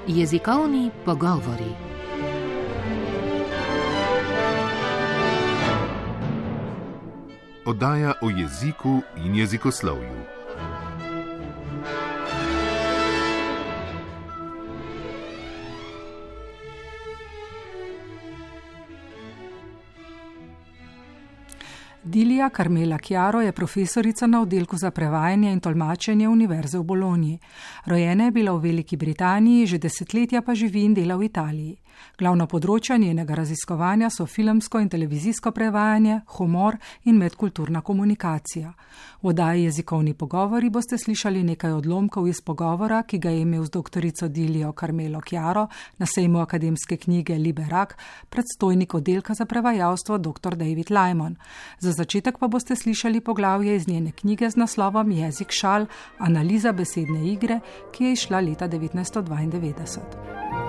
Jezikovni pogovori. Oddaja o jeziku in jezikoslovju. Dilija Carmela Chiaro je profesorica na oddelku za prevajanje in tolmačenje Univerze v Bologni. Rojena je bila v Veliki Britaniji, že desetletja pa živi in dela v Italiji. Glavno področja njenega raziskovanja so filmsko in televizijsko prevajanje, humor in medkulturna komunikacija. V oddaji Jezikovni pogovori boste slišali nekaj odlomkov iz pogovora, ki ga je imel z doktorico Dilijo Carmelo Chiaro na sejmu akademske knjige Liberak predstojnik oddelka za prevajalstvo dr. David Lyman. Za začetek pa boste slišali poglavje iz njene knjige z naslovom Jezik šal, analiza besedne igre, ki je izšla leta 1992.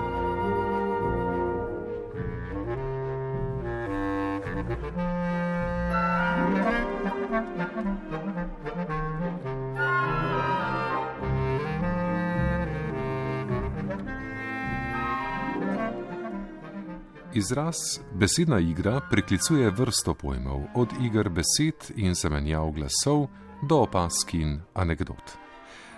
Izraz besedna igra priklicuje vrsto pojmov, od iger besed in zamenjav glasov do opazk in anekdot.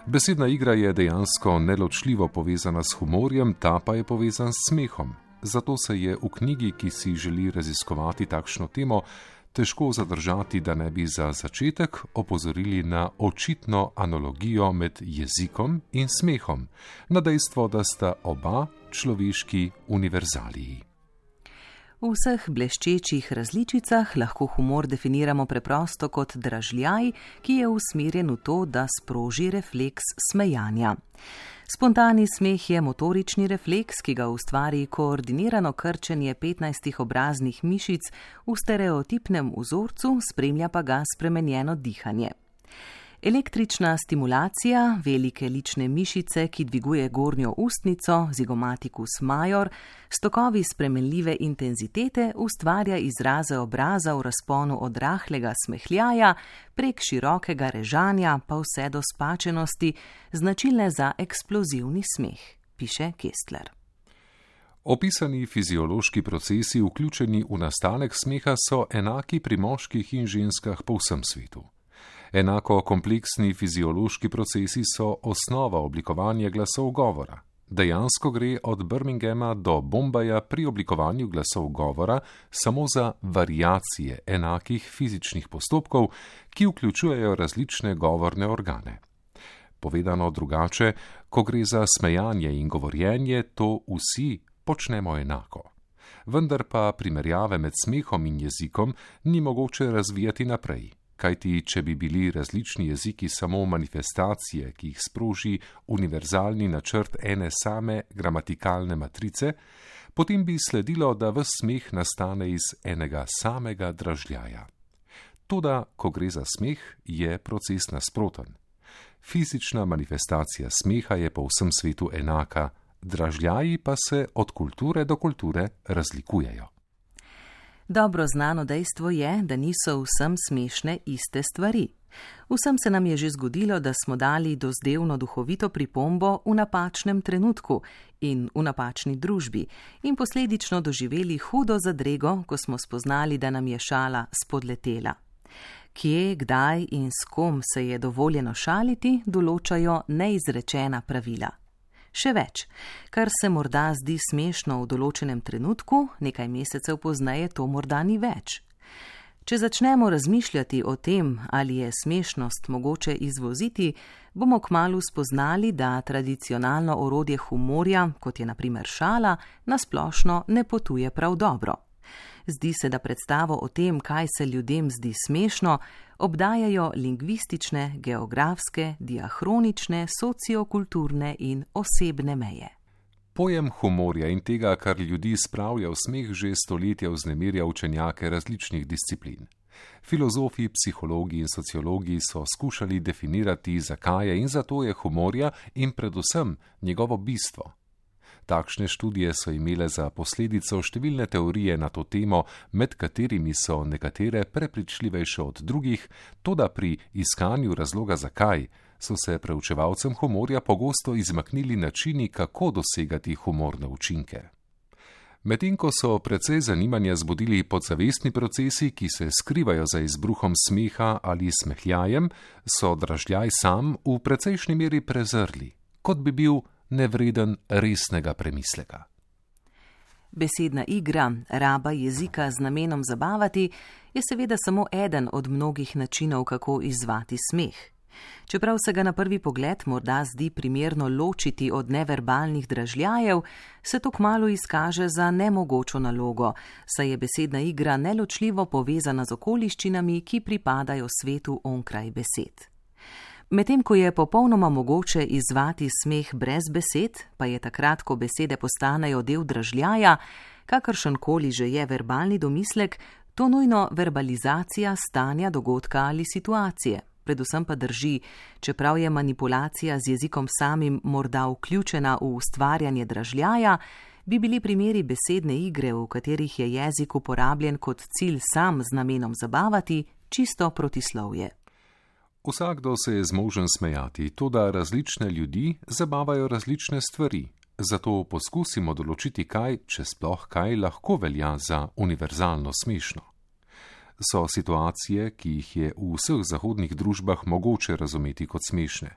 Besedna igra je dejansko neločljivo povezana s humorjem, ta pa je povezan s smehom. Zato se je v knjigi, ki si želi raziskovati takšno temo, težko zadržati, da ne bi za začetek opozorili na očitno analogijo med jezikom in smehom, na dejstvo, da sta oba človeški univerzaliji. V vseh bleščečih različicah lahko humor definiramo preprosto kot dražljaj, ki je usmerjen v to, da sproži refleks smejanja. Spontani smeh je motorični refleks, ki ga ustvari koordinirano krčenje 15 obraznih mišic v stereotipnem vzorcu, spremlja pa ga spremenjeno dihanje. Električna stimulacija, velike lične mišice, ki dviguje gornjo ustnico, zigomatikus major, s tokovi spremenljive intenzitete ustvarja izraze obraza v razponu od rahlega smehljaja prek širokega režanja pa vse do spačenosti, značilne za eksplozivni smeh, piše Kestler. Opisani fiziološki procesi, vključeni v nastanek smeha, so enaki pri moških in ženskah po vsem svetu. Enako kompleksni fiziološki procesi so osnova oblikovanja glasov govora. Dejansko gre od Birminghama do Bombaja pri oblikovanju glasov govora samo za variacije enakih fizičnih postopkov, ki vključujejo različne govorne organe. Povedano drugače, ko gre za smejanje in govorjenje, to vsi počnemo enako. Vendar pa primerjave med smehom in jezikom ni mogoče razvijati naprej. Kajti, če bi bili različni jeziki samo manifestacije, ki jih sproži univerzalni načrt ene same gramatikalne matrice, potem bi sledilo, da ves smeh nastane iz enega samega dražljaja. Toda, ko gre za smeh, je proces nasproten. Fizična manifestacija smeha je po vsem svetu enaka, dražljaji pa se od kulture do kulture razlikujejo. Dobro znano dejstvo je, da niso vsem smešne iste stvari. Vsem se nam je že zgodilo, da smo dali dozdevno duhovito pripombo v napačnem trenutku in v napačni družbi in posledično doživeli hudo zadrego, ko smo spoznali, da nam je šala spodletela. Kje, kdaj in s kom se je dovoljeno šaliti, določajo neizrečena pravila. Še več, kar se morda zdi smešno v določenem trenutku, nekaj mesecev pozneje to morda ni več. Če začnemo razmišljati o tem, ali je smešnost mogoče izvoziti, bomo kmalu spoznali, da tradicionalno orodje humorja, kot je na primer šala, na splošno ne potuje prav dobro. Zdi se, da predstavo o tem, kaj se ljudem zdi smešno, obdajajo lingvistične, geografske, diahronične, sociokulturne in osebne meje. Pojem humorja in tega, kar ljudi spravlja v smeh, že stoletja vznemirja učenjake različnih disciplin. Filozofi, psihologi in sociologi so skušali definirati, zakaj je in zato je humorja in predvsem njegovo bistvo. Takšne študije so imele za posledico številne teorije na to temo, med katerimi so nekatere prepričljivejše od drugih, toda pri iskanju razloga zakaj so se preučevalcem humorja pogosto izmaknili načini, kako dosegati humorne učinke. Medtem ko so precej zanimanja zbudili podzavestni procesi, ki se skrivajo za izbruhom smeha ali smehljajem, so dražljaj sam v precejšnji meri prezrli, kot bi bil nevreden resnega premisleka. Besedna igra, raba jezika z namenom zabavati, je seveda samo eden od mnogih načinov, kako izzvati smeh. Čeprav se ga na prvi pogled morda zdi primerno ločiti od neverbalnih dražljajev, se to kmalu izkaže za nemogočo nalogo, saj je besedna igra neločljivo povezana z okoliščinami, ki pripadajo svetu onkraj besed. Medtem ko je popolnoma mogoče izzvati smeh brez besed, pa je takrat, ko besede postanejo del dražljaja, kakršenkoli že je verbalni domislek, to nujno verbalizacija stanja, dogodka ali situacije. Predvsem pa drži, čeprav je manipulacija z jezikom samim morda vključena v ustvarjanje dražljaja, bi bili primeri besedne igre, v katerih je jezik uporabljen kot cilj sam z namenom zabavati, čisto protislovje. Vsakdo se je zmožen smejati, toda različne ljudi zabavajo različne stvari. Zato poskusimo določiti kaj, če sploh kaj, lahko velja za univerzalno smešno. So situacije, ki jih je v vseh zahodnih družbah mogoče razumeti kot smešne.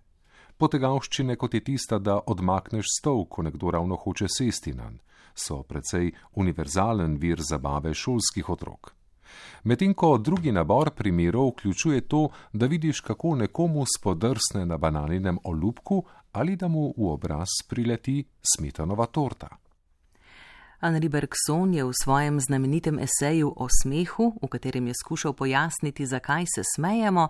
Potegavščine, kot je tista, da odmakneš stol, ko nekdo ravno hoče sesti nanj, so precej univerzalen vir zabave šolskih otrok. Medtem ko drugi nabor primerov vključuje to, da vidiš, kako nekomu spodrsne na bananinem olupku ali da mu v obraz prileti smetanova torta. Henri Bergson je v svojem znamenitem eseju o smehu, v katerem je skušal pojasniti, zakaj se smejemo,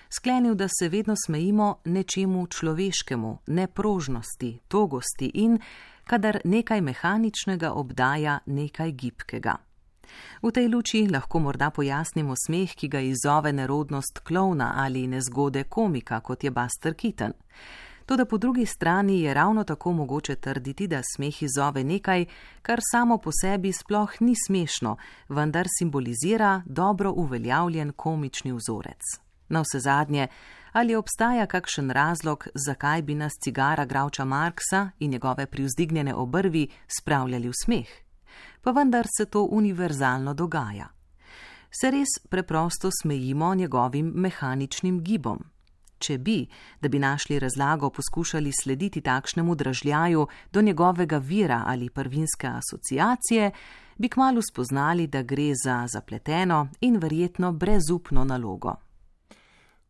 sklenil, da se vedno smejimo nečemu človeškemu, neprožnosti, togosti in kadar nekaj mehaničnega obdaja nekaj gibkega. V tej luči lahko morda pojasnimo smeh, ki ga izzove nerodnost klovna ali nezgode komika, kot je Buster Keaton. Toda po drugi strani je ravno tako mogoče trditi, da smeh izzove nekaj, kar samo po sebi sploh ni smešno, vendar simbolizira dobro uveljavljen komični vzorec. Navsezadnje, ali obstaja kakšen razlog, zakaj bi nas cigara Groucha Marxa in njegove privzdignjene obrvi spravljali v smeh? Pa vendar se to univerzalno dogaja. Se res preprosto smejimo njegovim mehaničnim gibom. Če bi, da bi našli razlago, poskušali slediti takšnemu dražljaju do njegovega vira ali prvinske asociacije, bi kmalu spoznali, da gre za zapleteno in verjetno brezupno nalogo.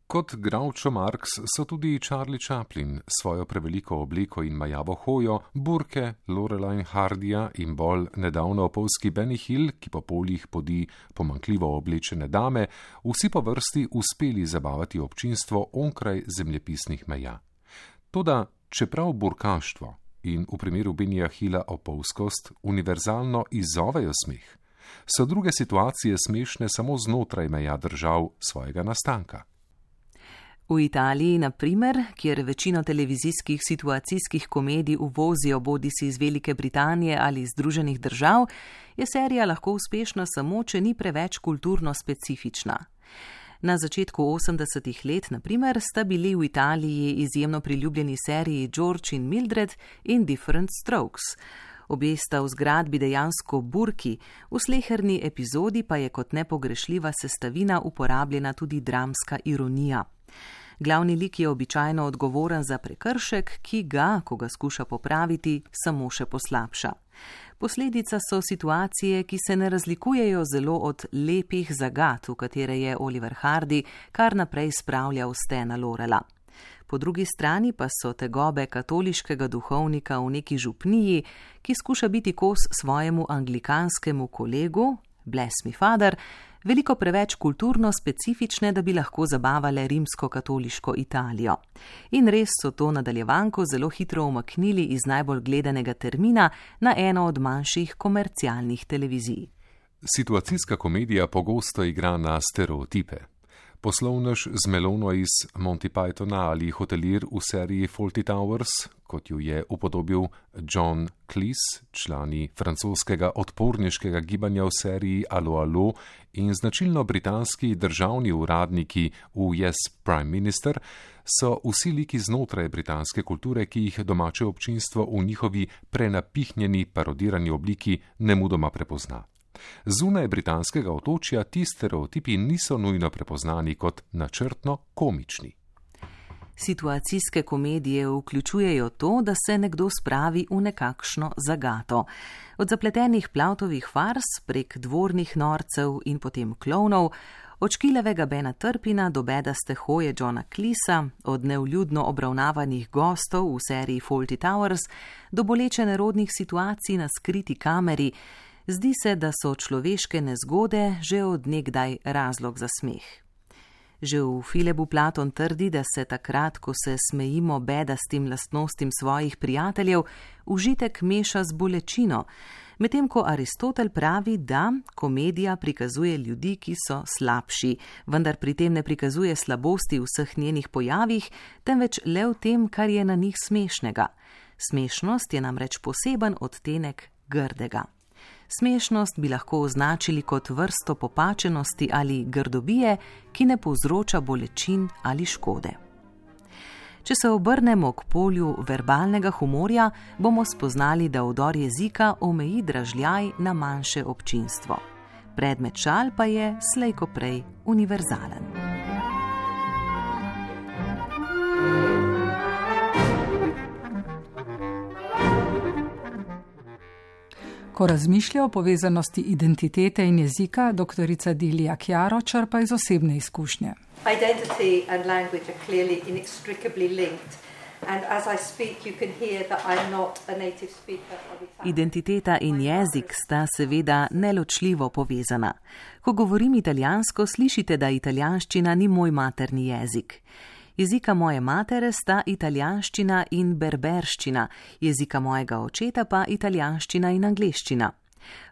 Kot Groucho Marx so tudi Charlie Chaplin svojo preveliko obleko in majavo hojo, burke, Lorelei Hardija in bolj nedavno opolski Benny Hill, ki po poljih podi pomanjkljivo oblečene dame, vsi po vrsti uspeli zabavati občinstvo onkraj zemljepisnih meja. Toda, čeprav burkaštvo in v primeru Bennyja Hilla opolskost univerzalno izzovejo smeh, so druge situacije smešne samo znotraj meja držav svojega nastanka. V Italiji, na primer, kjer večino televizijskih situacijskih komedij uvozijo bodisi iz Velike Britanije ali iz Združenih držav, je serija lahko uspešna samo, če ni preveč kulturno specifična. Na začetku 80-ih let, na primer, sta bili v Italiji izjemno priljubljeni seriji George in Mildred in Different Strokes. Obe sta v zgradbi dejansko burki, v sleherni epizodi pa je kot nepogrešljiva sestavina uporabljena tudi dramska ironija. Glavni lik je običajno odgovoren za prekršek, ki ga, ko ga skuša popraviti, samo še poslabša. Posledica so situacije, ki se ne razlikujejo zelo od lepih zagat, v katere je Oliver Hardy kar naprej spravljal Stana Lorela. Po drugi strani pa so tegobe katoliškega duhovnika v neki župniji, ki skuša biti kos svojemu anglikanskemu kolegu, Bless me father, veliko preveč kulturno specifične, da bi lahko zabavale rimsko-katoliško Italijo. In res so to nadaljevanko zelo hitro umaknili iz najbolj gledanega termina na eno od manjših komercialnih televizij. Situacijska komedija pogosto igra na stereotipe. Poslovnež z melono iz Monty Pythona ali hotelir v seriji Fawlty Towers, kot jo je upodobil John Cleese, člani francoskega odporniškega gibanja v seriji Allo Allo in značilno britanski državni uradniki v Yes, Prime Minister, so vsi liki znotraj britanske kulture, ki jih domače občinstvo v njihovi prenapihnjeni parodirani obliki nemudoma prepozna. Zunaj britanskega otočja ti stereotipi niso nujno prepoznani kot načrtno komični. Situacijske komedije vključujejo to, da se nekdo spravi v nekakšno zagato. Od zapletenih Plautovih fars prek dvornih norcev in potem klovnov, od škiljevega Bena Turpina do bedaste hoje Johna Cleesa, od nevljudno obravnavanih gostov v seriji Fawlty Towers do boleče nerodnih situacij na skriti kameri, zdi se, da so človeške nezgode že od nekdaj razlog za smeh. Že v Filebu Platon trdi, da se takrat, ko se smejimo bedastim lastnostim svojih prijateljev, užitek meša z bolečino, medtem ko Aristotel pravi, da komedija prikazuje ljudi, ki so slabši, vendar pri tem ne prikazuje slabosti v vseh njenih pojavih, temveč le v tem, kar je na njih smešnega. Smešnost je namreč poseben odtenek grdega. Smešnost bi lahko označili kot vrsto popačenosti ali grdobije, ki ne povzroča bolečin ali škode. Če se obrnemo k polju verbalnega humorja, bomo spoznali, da vdor jezika omeji dražljaj na manjše občinstvo. Predmet šal pa je slej ko prej univerzalen. Ko razmišlja o povezanosti identitete in jezika, doktorica Delia Chiaro črpa iz osebne izkušnje. Identity and language are clearly inextricably linked. And as I speak, you can hear that I'm not a native speaker of Italian. Identiteta in jezik sta seveda neločljivo povezana. Ko govorim italijansko, slišite, da italijanščina ni moj materni jezik. Jezika moje matere sta italijanščina in berberščina, jezika mojega očeta pa italijanščina in angleščina.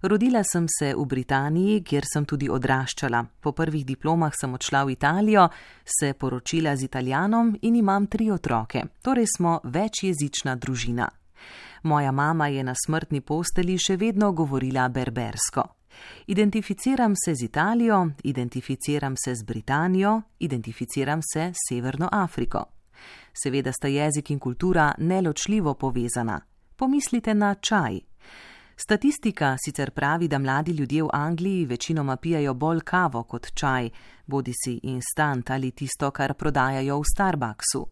Rodila sem se v Britaniji, kjer sem tudi odraščala. Po prvih diplomah sem odšla v Italijo, se poročila z Italijanom in imam 3 otroke, torej smo večjezična družina. Moja mama je na smrtni posteli še vedno govorila berbersko. Identificiram se z Italijo, identificiram se z Britanijo, identificiram se s Severno Afriko. Seveda sta jezik in kultura neločljivo povezana. Pomislite na čaj. Statistika sicer pravi, da mladi ljudje v Angliji večinoma pijajo bolj kavo kot čaj, bodisi instant ali tisto, kar prodajajo v Starbucksu.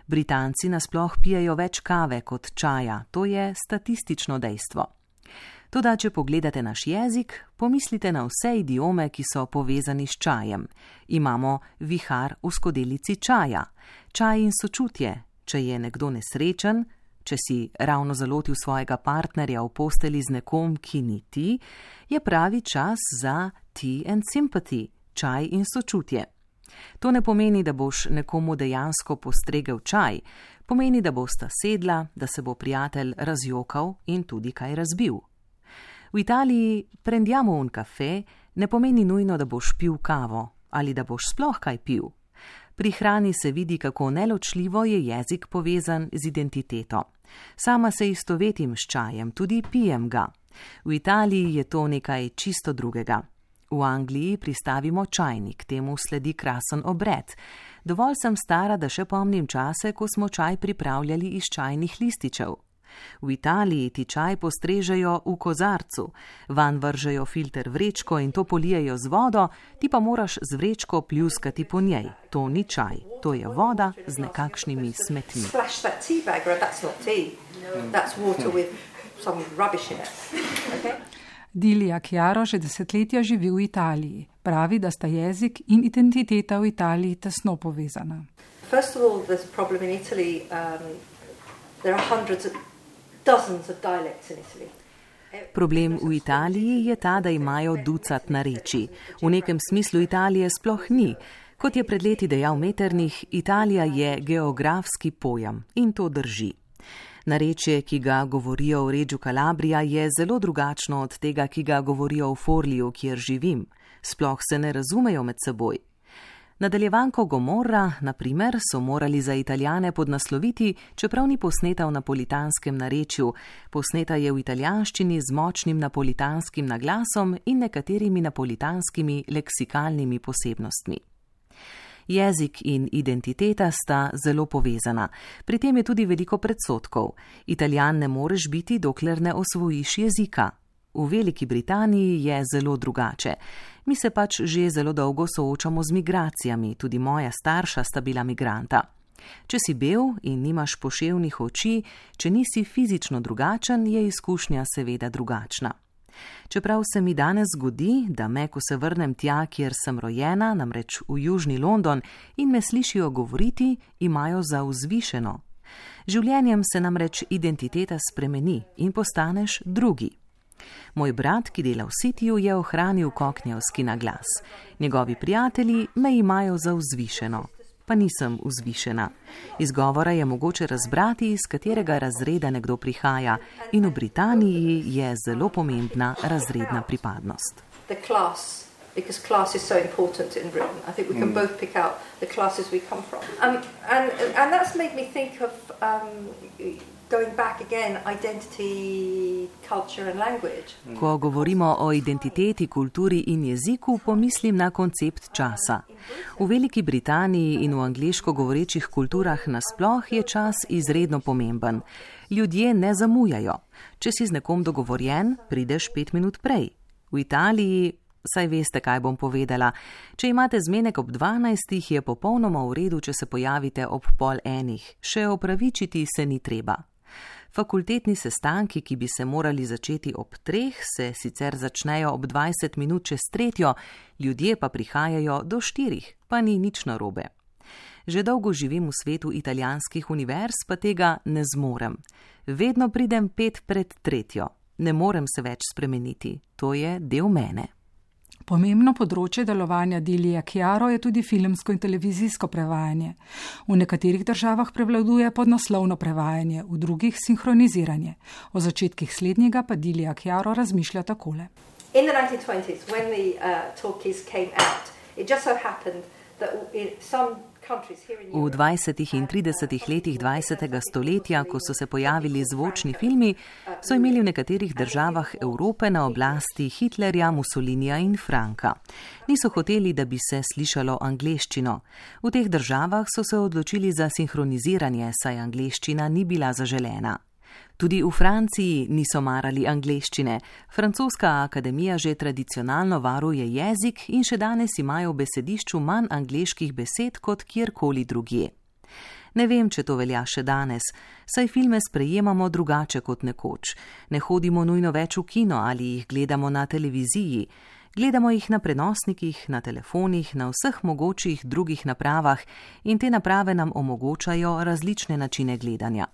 Britanci nasploh pijajo več kave kot čaja, to je statistično dejstvo. Toda, če pogledate naš jezik, pomislite na vse idiome, ki so povezani s čajem. Imamo vihar v skodelici čaja, čaj in sočutje, če je nekdo nesrečen, če si ravno zalotil svojega partnerja v posteli z nekom, ki ni ti, je pravi čas za tea and sympathy, čaj in sočutje. To ne pomeni, da boš nekomu dejansko postregel čaj, pomeni, da bosta sedla, da se bo prijatelj razjokal in tudi kaj razbil. V Italiji prendiamo un kafe ne pomeni nujno, da boš pil kavo ali da boš sploh kaj pil. Pri hrani se vidi, kako neločljivo je jezik povezan z identiteto. Sama se istovetim s čajem, tudi pijem ga. V Italiji je to nekaj čisto drugega. V Angliji pristavimo čajnik, temu sledi krasen obred. Dovolj sem stara, da še pomnim čase, ko smo čaj pripravljali iz čajnih lističev. V Italiji ti čaj postrežejo v kozarcu, van vržejo filter vrečko in to polijejo z vodo, ti pa moraš z vrečko pljuskati po njej. To ni čaj, to je voda z nekakšnimi smetmi. Delia Chiaro že desetletja živi v Italiji. Pravi, da sta jezik in identiteta v Italiji tesno povezana. First of all, there's a problem in Italy. There are dozens of dialects in Italy. Problem v Italiji je ta, da imajo ducat narečij. V nekem smislu Italije sploh ni. Kot je pred leti dejal Metternich, Italija je geografski pojem in to drži. Narečje, ki ga govorijo v Reggio Calabria, je zelo drugačno od tega, ki ga govorijo v Forliju, kjer živim. Sploh se ne razumejo med seboj. Nadaljevanko Gomorra, na primer, so morali za Italijane podnasloviti, čeprav ni posneta v napolitanskem narečju. Posneta je v italijanščini z močnim napolitanskim naglasom in nekaterimi napolitanskimi leksikalnimi posebnostmi. Jezik in identiteta sta zelo povezana. Pri tem je tudi veliko predsodkov. Italijan ne moreš biti, dokler ne osvojiš jezika. V Veliki Britaniji je zelo drugače. Mi se pač že zelo dolgo soočamo z migracijami, tudi moja starša sta bila migranta. Če si bel in nimaš poševnih oči, če nisi fizično drugačen, je izkušnja seveda drugačna. Čeprav se mi danes zgodi, da me, ko se vrnem tja, kjer sem rojena, namreč v južni London, in me slišijo govoriti, imajo za vzvišeno. Življenjem se namreč identiteta spremeni in postaneš drugi. Moj brat, ki dela v Cityju, je ohranil koknjevski naglas. Njegovi prijatelji me imajo za vzvišeno, pa nisem vzvišena. Iz govora je mogoče razbrati, iz katerega razreda nekdo prihaja, in v Britaniji je zelo pomembna razredna pripadnost. Because class is so important in Britain. I think we can both pick out the classes we come from. And that's made me think of going back again, identity, culture and language. Ko govorimo o identiteti, kulturi in jeziku, pomislim na koncept časa. V Veliki Britaniji in v angleško govorečih kulturah nasploh je čas izredno pomemben. Ljudje ne zamujajo. Če si z nekom dogovorjen, prideš 5 minut prej. V Italiji, saj veste, kaj bom povedala, če imate zmenek ob 12, je popolnoma v redu, če se pojavite ob 12:30. Še opravičiti se ni treba. Fakultetni sestanki, ki bi se morali začeti ob 3, se sicer začnejo ob 20 minut čez 3, ljudje pa prihajajo do 4, pa ni nič narobe. Že dolgo živim v svetu italijanskih univerz, pa tega ne zmorem. Vedno pridem 5 pred 3. Ne morem se več spremeniti. To je del mene. Pomembno področje delovanja Dilija Chiaro je tudi filmsko in televizijsko prevajanje. V nekaterih državah prevladuje podnaslovno prevajanje, v drugih sinhroniziranje. O začetkih slednjega pa Dilija Chiaro razmišlja takole. In the 1920s, when the talkies came out, it just so happened that in some V 20. in 30. letih 20. stoletja, ko so se pojavili zvočni filmi, so imeli v nekaterih državah Evrope na oblasti Hitlerja, Mussolinija in Franka. Niso hoteli, da bi se slišalo angleščino. V teh državah so se odločili za sinhroniziranje, saj angleščina ni bila zaželena. Tudi v Franciji niso marali angleščine. Francoska akademija že tradicionalno varuje jezik in še danes imajo v besedišču manj angleških besed kot kjerkoli drugje. Ne vem, če to velja še danes, saj filme sprejemamo drugače kot nekoč. Ne hodimo nujno več v kino ali jih gledamo na televiziji. Gledamo jih na prenosnikih, na telefonih, na vseh mogočih drugih napravah in te naprave nam omogočajo različne načine gledanja.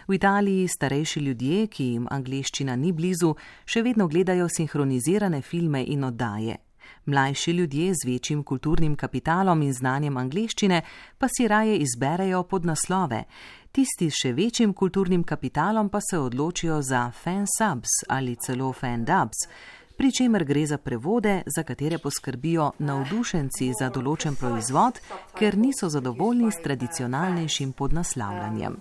V Italiji starejši ljudje, ki jim angleščina ni blizu, še vedno gledajo sinhronizirane filme in oddaje. Mlajši ljudje z večjim kulturnim kapitalom in znanjem angleščine pa si raje izberejo podnaslove. Tisti s še večjim kulturnim kapitalom pa se odločijo za fansubs ali celo fandubs, pri čemer gre za prevode, za katere poskrbijo navdušenci za določen proizvod, ker niso zadovoljni s tradicionalnejšim podnaslavljanjem.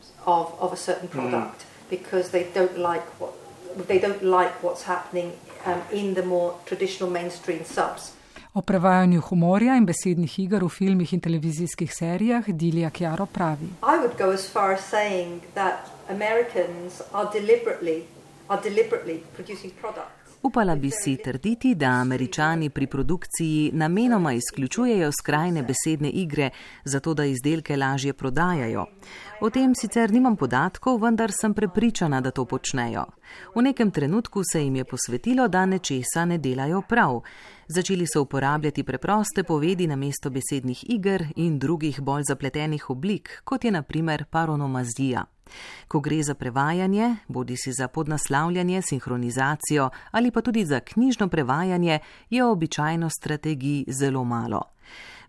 O prevajanju humorja in besednih iger v filmih in televizijskih serijah Dilija Chiaro pravi. I would go as far as saying that Americans are deliberately producing products. Upala bi si trditi, da Američani pri produkciji namenoma izključujejo skrajne besedne igre, zato da izdelke lažje prodajajo. O tem sicer nimam podatkov, vendar sem prepričana, da to počnejo. V nekem trenutku se jim je posvetilo, da nečesa ne delajo prav. Začeli so uporabljati preproste povedi namesto besednih iger in drugih bolj zapletenih oblik, kot je na primer paronomazija. Ko gre za prevajanje, bodisi za podnaslavljanje, sinhronizacijo ali pa tudi za knjižno prevajanje, je običajno strategij zelo malo.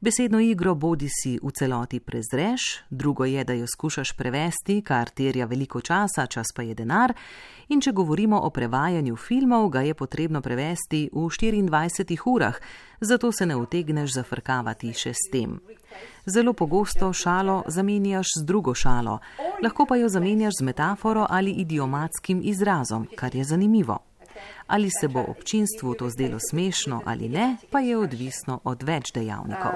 Besedno igro bodi si v celoti prezreš, drugo je, da jo skušaš prevesti, kar terja veliko časa, čas pa je denar, in če govorimo o prevajanju filmov, ga je potrebno prevesti v 24 urah, zato se ne utegneš zafrkavati še s tem. Zelo pogosto šalo zamenjaš z drugo šalo, lahko pa jo zamenjaš z metaforo ali idiomatskim izrazom, kar je zanimivo. Ali se bo občinstvu to zdelo smešno ali ne, pa je odvisno od več dejavnikov.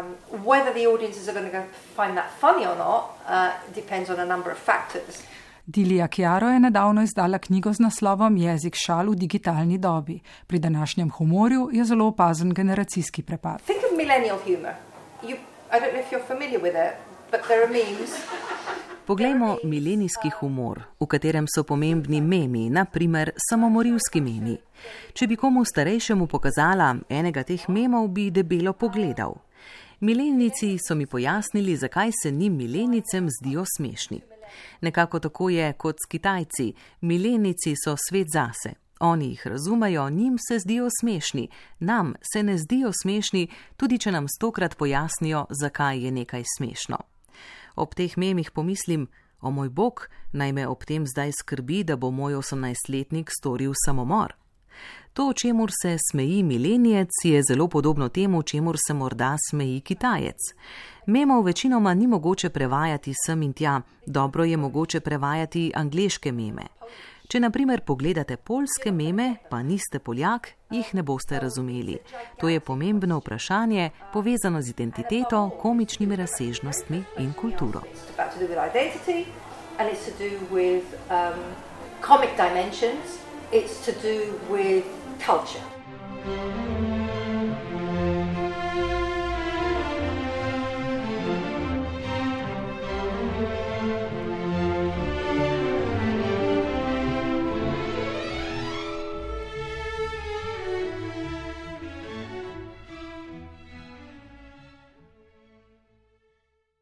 Dilija Chiaro je nedavno izdala knjigo z naslovom Jezik šal v digitalni dobi. Pri današnjem humorju je zelo opazen generacijski prepad. Think of millennial humor. I don't know if you're familiar with it, but there are memes. Poglejmo milenijski humor, v katerem so pomembni memi, na primer samomorilski memi. Če bi komu starejšemu pokazala enega teh memov, bi debelo pogledal. Milenijci so mi pojasnili, zakaj se njim milenijcem zdijo smešni. Nekako tako je kot s Kitajci. Milenijci so svet zase. Oni jih razumejo, njim se zdijo smešni. Nam se ne zdijo smešni, tudi če nam 100-krat pojasnijo, zakaj je nekaj smešno. Ob teh memih pomislim, o moj bog, naj me ob tem zdaj skrbi, da bo moj 18-letnik storil samomor. To, čemur se smeji milenijec, je zelo podobno temu, čemur se morda smeji Kitajec. Memov večinoma ni mogoče prevajati sem in tja, dobro je mogoče prevajati angleške meme. Če na primer pogledate poljske meme, pa niste Poljak, jih ne boste razumeli. To je pomembno vprašanje, povezano z identiteto, komičnimi razsežnostmi in kulturo. It's to do with culture.